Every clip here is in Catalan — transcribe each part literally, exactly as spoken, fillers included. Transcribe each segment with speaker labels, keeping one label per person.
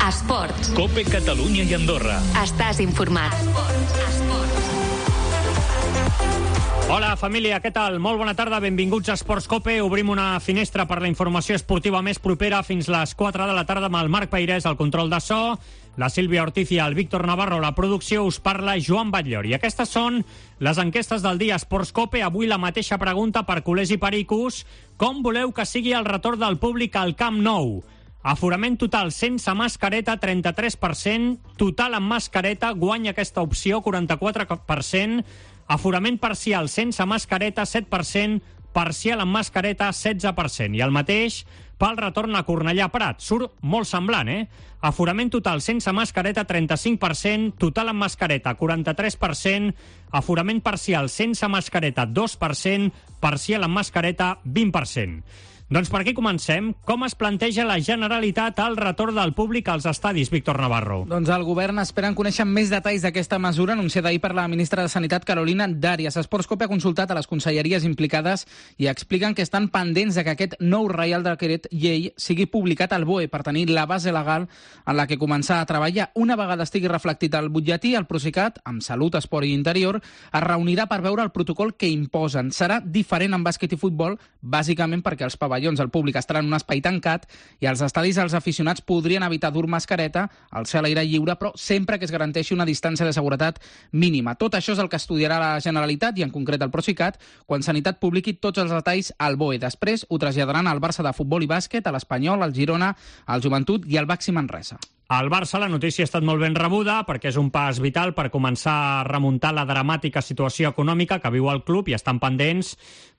Speaker 1: Esports.
Speaker 2: COPE Catalunya i Andorra.
Speaker 1: Estàs informat. Esports. Esports.
Speaker 3: Hola, família, què tal? Molt bona tarda, benvinguts a Esports COPE. Obrim una finestra per la informació esportiva més propera fins les quatre de la tarda amb el Marc Peirés, al control de so, la Sílvia Ortiz i el Víctor Navarro. La producció us parla Joan Batllor. I aquestes són les enquestes del dia Esports COPE. Avui la mateixa pregunta per culers i pericos. Com voleu que sigui el retorn del públic al Camp Nou? Aforament total sense mascareta, trenta-tres per cent. Total amb mascareta, guanya aquesta opció, quaranta-quatre per cent. Aforament parcial sense mascareta, set per cent. Parcial amb mascareta, setze per cent. I el mateix pel retorn a Cornellà Prat. Surt molt semblant, eh? Aforament total sense mascareta, trenta-cinc per cent. Total amb mascareta, quaranta-tres per cent. Aforament parcial sense mascareta, dos per cent. Parcial amb mascareta, vint per cent. Doncs per aquí comencem. Com es planteja la Generalitat al retorn del públic als estadis, Víctor Navarro?
Speaker 4: Doncs el govern espera conèixer més detalls d'aquesta mesura anunciada ahir per la ministra de Sanitat, Carolina Darias. Esports COPE ha consultat a les conselleries implicades i expliquen que estan pendents de que aquest nou Reial Decret Llei sigui publicat al B O E per tenir la base legal en la que començar a treballar. Una vegada estigui reflectit al butlletí, el Procicat, amb Salut, Esport i Interior, es reunirà per veure el protocol que imposen. Serà diferent en bàsquet i futbol, bàsicament perquè els pavellons el públic estarà en un espai tancat i als estadis els aficionats podrien evitar dur mascareta al ser a l'aire lliure, però sempre que es garanteixi una distància de seguretat mínima. Tot això és el que estudiarà la Generalitat i en concret el Procicat quan Sanitat publiqui tots els detalls al B O E. Després ho traslladaran al Barça de futbol i bàsquet, a l'Espanyol, al Girona, al Joventut i al Baxi Manresa.
Speaker 3: Al Barça la notícia ha estat molt ben rebuda perquè és un pas vital per començar a remuntar la dramàtica situació econòmica que viu el club i estan pendents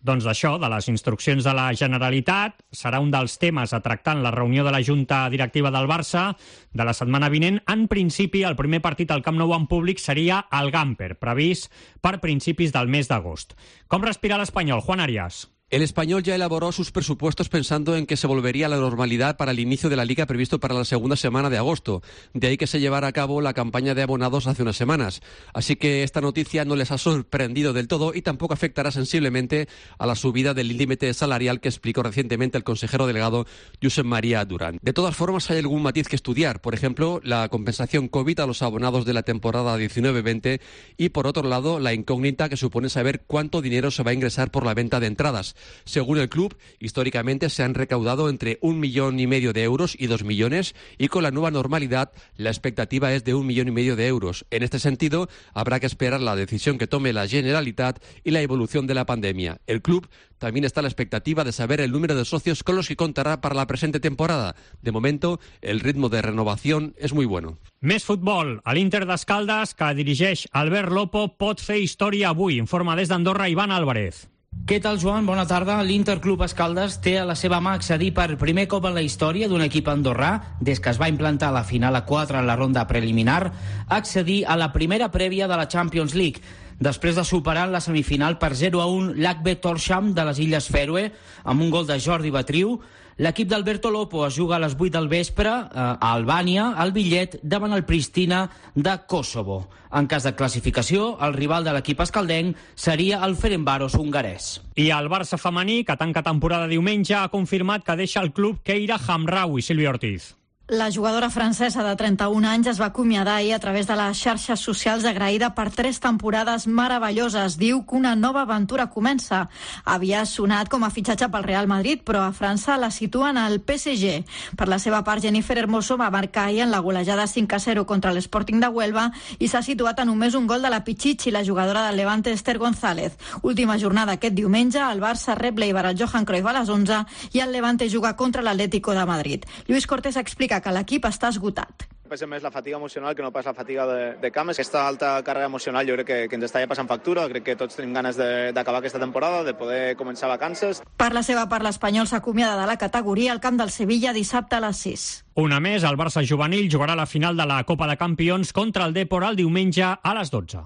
Speaker 3: doncs d'això, de les instruccions de la Generalitat. Serà un dels temes a tractar en la reunió de la Junta Directiva del Barça de la setmana vinent. En principi, el primer partit al Camp Nou en públic seria al Gamper, previst per principis del mes d'agost. Com respira l'Espanyol, Juan Arias?
Speaker 5: El Español ya elaboró sus presupuestos pensando en que se volvería a la normalidad para el inicio de la Liga previsto para la segunda semana de agosto. De ahí que se llevara a cabo la campaña de abonados hace unas semanas. Así que esta noticia no les ha sorprendido del todo y tampoco afectará sensiblemente a la subida del límite salarial que explicó recientemente el consejero delegado Josep María Durán. De todas formas, hay algún matiz que estudiar. Por ejemplo, la compensación COVID a los abonados de la temporada diecinueve veinte y, por otro lado, la incógnita que supone saber cuánto dinero se va a ingresar por la venta de entradas. Según el club, históricamente se han recaudado entre un millón y medio de euros y dos millones y con la nueva normalidad la expectativa es de un millón y medio de euros. En este sentido, habrá que esperar la decisión que tome la Generalitat y la evolución de la pandemia. El club también está a la expectativa de saber el número de socios con los que contará para la presente temporada. De momento, el ritmo de renovación es muy bueno.
Speaker 3: Més futbol. A l'Inter d'Escaldes, que dirigeix Albert Lopo, pot fer història avui. Informa des d'Andorra Ivan Álvarez.
Speaker 6: Què tal, Joan? Bona tarda. L'Interclub Escaldes té a la seva mà accedir per primer cop en la història d'un equip andorrà, des que es va implantar la final a quatre en la ronda preliminar, accedir a la primera prèvia de la Champions League, després de superar en la semifinal per zero a un l'A C B Tórshavn de les Illes Fèroe, amb un gol de Jordi Batriu. L'equip d'Alberto Lopo es juga a les vuit del vespre eh, a Albània, al Bitllet, davant el Pristina de Kosovo. En cas de classificació, el rival de l'equip escaldenc seria el Ferencváros hongarès.
Speaker 3: I el Barça femení, que tanca temporada diumenge, ha confirmat que deixa el club Keira Hamraoui. Sílvia Ortiz.
Speaker 7: La jugadora francesa de trenta-un anys es va acomiadar ahir a través de les xarxes socials agraïda per tres temporades meravelloses. Diu que una nova aventura comença. Havia sonat com a fitxatge pel Real Madrid, però a França la situen al P S G. Per la seva part, Jennifer Hermoso va marcar ahir en la golejada cinc a zero contra l'Sporting de Huelva i s'ha situat a només un gol de la Pichichi, la jugadora del Levante Esther González. Última jornada aquest diumenge, el Barça rep l'Eibar al Johan Cruyff a les onze i el Levante juga contra l'Atlético de Madrid. Lluís Cortés explica que l'equip està esgotat.
Speaker 8: Pesa més la fatiga emocional que no pas la fatiga de, de cames. Aquesta alta càrrega emocional jo crec que, que ens està ja passant factura. Crec que tots tenim ganes d'acabar aquesta temporada, de poder començar vacances.
Speaker 7: Per la seva part, l'Espanyol s'acomiada de la categoria al camp del Sevilla dissabte a les sis.
Speaker 3: Una més, el Barça juvenil jugarà la final de la Copa de Campions contra el Depor el diumenge a les dotze.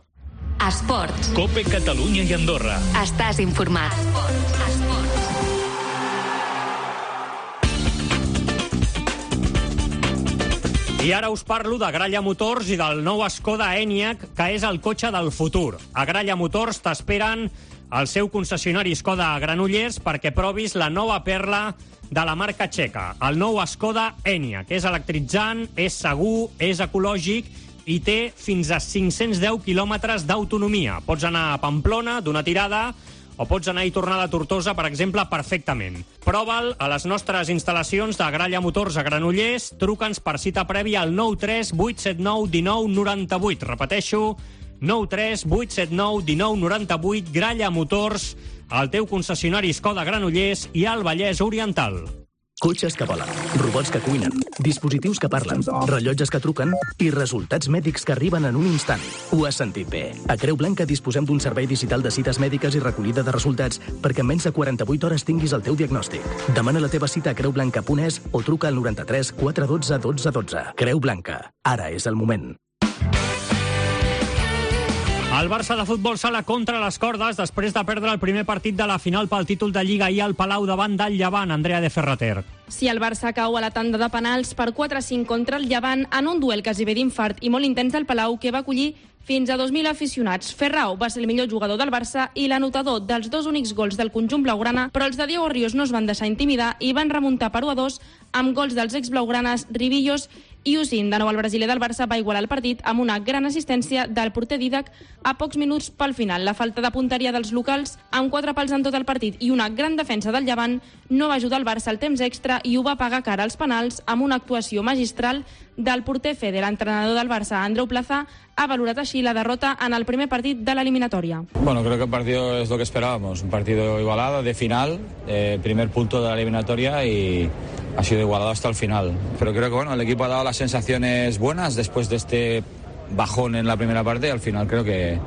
Speaker 1: Esports.
Speaker 2: COPE Catalunya i Andorra.
Speaker 1: Estàs informat. Esports. Esports.
Speaker 3: I ara us parlo de Gralla Motors i del nou Skoda Enyaq, que és el cotxe del futur. A Gralla Motors t'esperen al seu concessionari Skoda a Granollers perquè provis la nova perla de la marca txeca, el nou Skoda Enyaq, que és electritzant, és segur, és ecològic i té fins a cinc-cents deu quilòmetres d'autonomia. Pots anar a Pamplona d'una tirada o pots anar i tornar de Tortosa, per exemple, perfectament. Prova'l a les nostres instal·lacions de Gralla Motors a Granollers. Truca'ns per cita prèvia al nou tres vuit set nou un nou nou vuit. Repeteixo, nou tres vuit set nou un nou nou vuit. Gralla Motors, el teu concessionari Skoda Granollers i al Vallès Oriental.
Speaker 9: Cotxes que volen, robots que cuinen, dispositius que parlen, rellotges que truquen i resultats mèdics que arriben en un instant. Ho has sentit bé. A Creu Blanca disposem d'un servei digital de cites mèdiques i recollida de resultats perquè en menys de quaranta-vuit hores tinguis el teu diagnòstic. Demana la teva cita a creu blanca punt es o truca al noranta-tres quatre dotze dotze dotze. Creu Blanca. Ara és el moment.
Speaker 3: El Barça de futbol sala contra les cordes després de perdre el primer partit de la final pel títol de Lliga ahir al Palau davant del Llevant. Andrea de Ferrater.
Speaker 10: Si el Barça cau a la tanda de penals per quatre a cinc contra el Llevant en un duel quasi bé d'infart i molt intens del Palau que va acollir fins a dos mil aficionats. Ferrao va ser el millor jugador del Barça i l'anotador dels dos únics gols del conjunt blaugrana, però els de Diego Ríos no es van deixar intimidar i van remuntar per u a dos amb gols dels ex-blaugranes Ribillos i Usin. De nou, el brasiler del Barça va igualar el partit amb una gran assistència del porter Didac a pocs minuts pel final. La falta de punteria dels locals, amb quatre pals en tot el partit i una gran defensa del Llevant, no va ajudar el Barça al temps extra i ho va pagar cara als penals amb una actuació magistral del porter Fede. L'entrenador del Barça, Andreu Plaza, ha valorat així la derrota en el primer partit de l'eliminatòria.
Speaker 11: Bueno, creo que el partido es lo que esperábamos, un partido igualado, de final, eh, primer punto de la eliminatoria y ha sido igualado hasta el final. Pero creo que bueno, el equipo ha dado las sensaciones buenas después de este bajón en la primera parte y al final creo que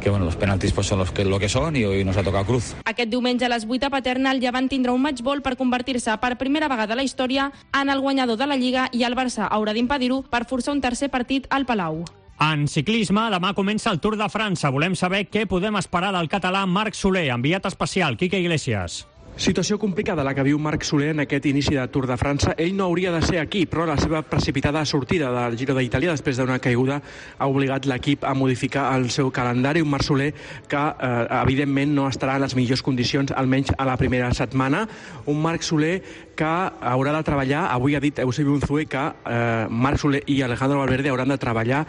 Speaker 11: que bueno, los penaltis pues, son los que, lo que son y hoy nos ha tocado cruz.
Speaker 10: Aquest diumenge a les vuit a Paterna el Llevant tindrà un matchball per convertir-se per primera vegada a la història en el guanyador de la Lliga i el Barça haurà d'impedir-ho per forçar un tercer partit al Palau.
Speaker 3: En ciclisme, demà comença el Tour de França. Volem saber què podem esperar del català Marc Soler. Enviat especial, Quique Iglesias.
Speaker 12: Situació complicada la que viu Marc Soler en aquest inici de Tour de França. Ell no hauria de ser aquí, però la seva precipitada sortida del Giro d'Itàlia després d'una caiguda ha obligat l'equip a modificar el seu calendari. Un Marc Soler que, eh, evidentment, no estarà en les millors condicions, almenys a la primera setmana. Un Marc Soler que haurà de treballar, avui ha dit Eusebi Unzué que eh, Marc Soler i Alejandro Valverde hauran de treballar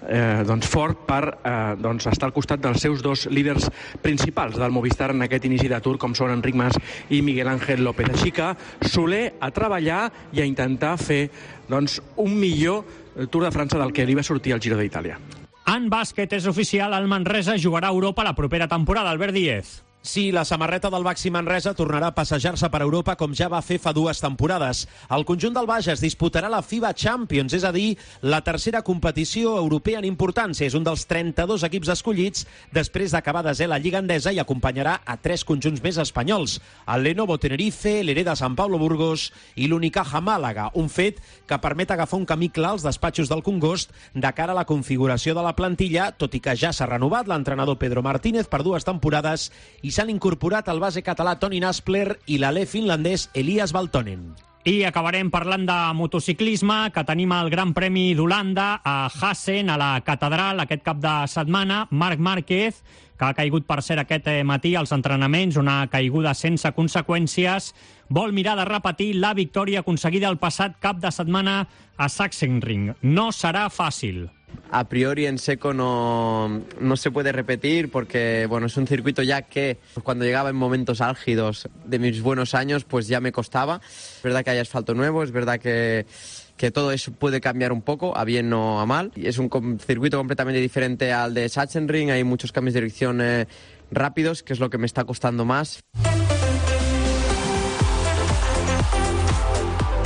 Speaker 12: eh, doncs, fort per eh, doncs, estar al costat dels seus dos líders principals del Movistar en aquest inici de Tour, com són Enric Mas i Miguel Ángel López. Així que Soler a treballar i a intentar fer doncs, un millor Tour de França del que li va sortir al Giro d'Itàlia.
Speaker 3: En bàsquet és oficial, el Manresa jugarà a Europa la propera temporada. Albert Díez.
Speaker 13: Sí, la samarreta del Baxi Manresa tornarà a passejar-se per Europa com ja va fer fa dues temporades. El conjunt del Bages disputarà la FIBA Champions, és a dir, la tercera competició europea en importància. És un dels trenta-dos equips escollits després d'acabar desè la Lliga Endesa i acompanyarà a tres conjunts més espanyols, el Lenovo Tenerife, l'Hereda San Pablo Burgos i l'Unicaja Màlaga, un fet que permet agafar un camí clar als despatxos del Congost de cara a la configuració de la plantilla, tot i que ja s'ha renovat l'entrenador Pedro Martínez per dues temporades i s'han incorporat el base català Toni Naspler i l'alè finlandès Elias Valtonen.
Speaker 3: I acabarem parlant de motociclisme, que tenim el Gran Premi d'Holanda a Hassen, a la Catedral, aquest cap de setmana. Marc Márquez, que ha caigut per cert aquest matí als entrenaments, una caiguda sense conseqüències, vol mirar de repetir la victòria aconseguida el passat cap de setmana a Sachsenring. No serà fàcil.
Speaker 14: A priori en seco no, no se puede repetir porque bueno, es un circuito ya que cuando llegaba en momentos álgidos de mis buenos años pues ya me costaba. Es verdad que hay asfalto nuevo, es verdad que, que todo eso puede cambiar un poco, a bien o a mal. Es un circuito completamente diferente al de Sachsenring, hay muchos cambios de dirección eh, rápidos, que es lo que me está costando más.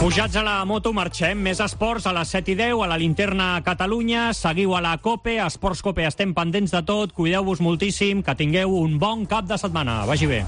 Speaker 3: Pujats a la moto, marxem. Més esports a les set i deu, a la Linterna Catalunya. Seguiu a la COPE, a Esports COPE estem pendents de tot. Cuideu-vos moltíssim, que tingueu un bon cap de setmana. Vagi bé.